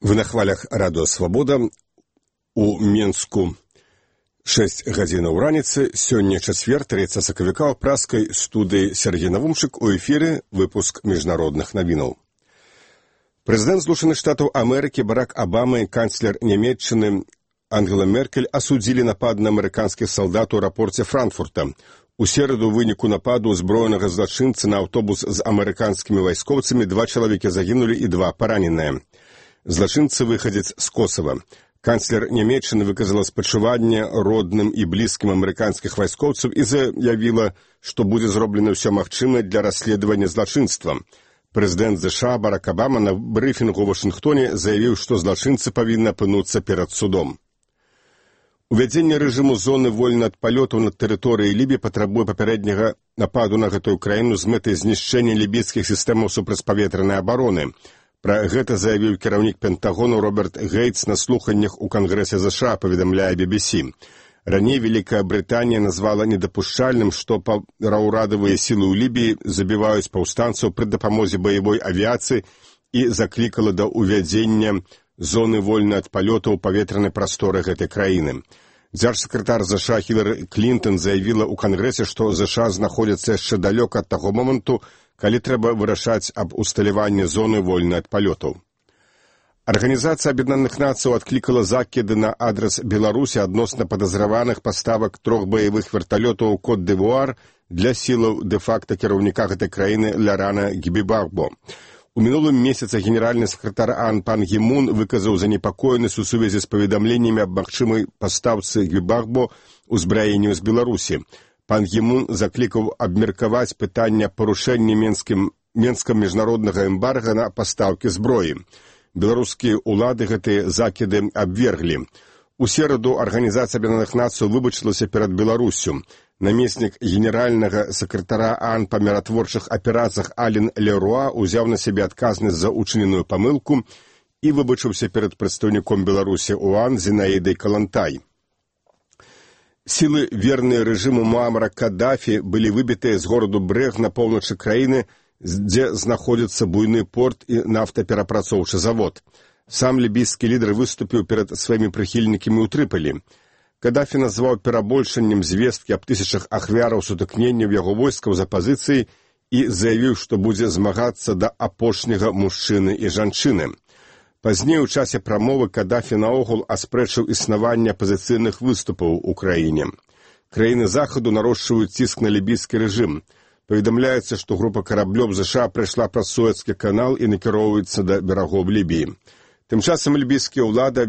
Вы на хвалях радыё «Свабода». У Менску 6 гадзінаў раніцы. Сёння чацвер, 3 сакавіка, у праскай студыі Сергей Навумчык. У эфіры выпуск міжнародных навінаў. Прэзідэнт Злучаных Штатаў Амерыкі Барак Абама і канцлер Нямецчыны Ангела Меркель асудзілі напад на амерыканскіх салдат у аэрапорце Франкфурта. У сераду ў выніку нападу узброенага злачынцы на аўтобус з амерыканскімі вайскоўцамі 2 чалавекі загінулі і 2 параненыя. Злачынцы выхадзец з Косава. Канцлер Нямецчыны выказала спачуванне родным і блізкім амерыканскіх вайскоўцаў і заявіла, што будзе зроблена ўсё магчымае для расследавання злачынства. Прэзідэнт США Барак Абама на брыфінгу ў Вашынгтоне заявіў, што злачынцы павінны апынуцца перад судом. Увядзенне рэжыму зоны вольна ад палётаў на тэрыторыі Лібіі патрабуе папярэдняга нападу на гэтую краіну з мэтай знішчэння лібійскіх сістэмаў супрацьпаветранай абароны. Пра гэта заявіў кіраўнік Пентагону Роберт Гейтс на слуханнях у Кангрэсе США, паведамляе BBC. Раней Вялікая Брытанія назвала недапушчальным, што паўрадавыя сілы ў Лібіі забіваюць паўстанцаў пры дапамозе баявой авіяцыі і заклікала да ўвядзення зоны вольна ад палётаў у паветранай прасторы гэтай краіны. Дзяржсакратар США Хілары Клінтон заявіла ў Кангрэсе, што США знаходзяцца яшчэ далёка ад таго моманту, калі трэба вырашаць аб усталяванні зоны вольнай ад палётаў. Арганізацыя Аб'яднаных Нацыяў адклікала закіды на адрас Беларусі адносна падазраваных паставак 3 баявых верталётаў у Кот-д'Івуар для сілаў дэ-факта кіраўніка гэтай краіны Ларана Гбібагбо. У мінулым месяцы генеральны сакратар АОН Пан Гі Мун выказаў занепакоенасць у сувязі з паведамленнямі аб магчымай пастаўцы Гбібагбо узбраенню з Беларусі. Пан Гі Мун заклікаў абмеркаваць пытанне парушэння Менскам міжнароднага эмбарга на пастаўкі зброі. Беларускія ўлады гэтыя закіды абверглі. У сераду Арганізацыя Аб'яднаных Нацыяў выбачылася перад Беларуссю. Намеснік генеральнага сакратара АОН па міратворчых аперацыях Ален Леруа узяў на сябе адказнасць за учыненую памылку і выбачыўся перад прадстаўніком Беларусі ў АОН Зінаідай Калантай. Сілы, верныя рэжыму Муамара Каддафі, былі выбітыя з гораду Брэг на поўначы краіны, дзе знаходзіцца буйны порт і нафтаперапрацоўчы завод. Сам лібійскі лідар выступіў перад сваімі прыхільнікамі ў Трыполі. Каддафі назваў перабольшаннем звесткі аб тысячах ахвяраў сутыкненняў яго войскаў з апазіцыяй і заявіў, што будзе змагацца да апошняга мужчыны і жанчыны. Пазней у часе прамовы Каддафі наогул аспрэчыў існаванне апазіцыйных выступаў у краіне. Краіны захаду нарошчваюць ціск на лібійскі рэжым. Паведамляецца, што група караблёў США прайшла праз Суэцкі канал і накіроўваецца да берагоў Лібіі. Тым часам лібійскія ўлады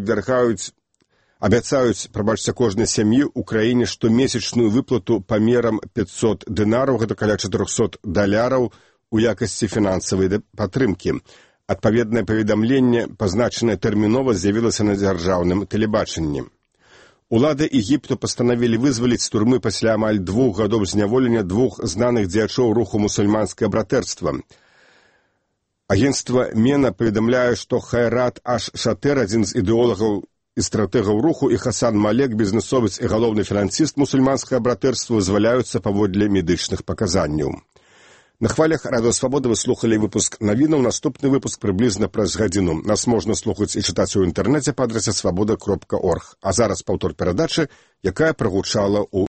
абяцаюць кожнай сям'і ў краіне штомесячную выплату памерам 500 дынараў, гэта каля $400, у якасці фінансавай падтрымкі. Адпаведнае паведамленне, пазначанае тэрмінова, з'явілася на дзяржаўным тэлебачанні. Улады Егіпту пастанавілі вызваліць з турмы пасля амаль 2 гадоў зняволення 2 знаных дзеячоў руху мусульманскае братэрства. Агенцтва Мена паведамляе, што Хайрат Аш-Шатэр, адзін з ідэолагаў і стратэгаў руху, і Хасан Малек, бізнесовец і галоўны фінансіст мусульманскага братэрства, вызваляюцца паводле медычных паказанняў. На хвалях радыё «Свабода» вы слухалі выпуск навінаў. Наступны выпуск прыблізна праз гадзіну. Нас можна слухаць і чытаць у інтэрнэце па адрасе свабода.орг. А зараз паўтор перадачы, якая прагучала ў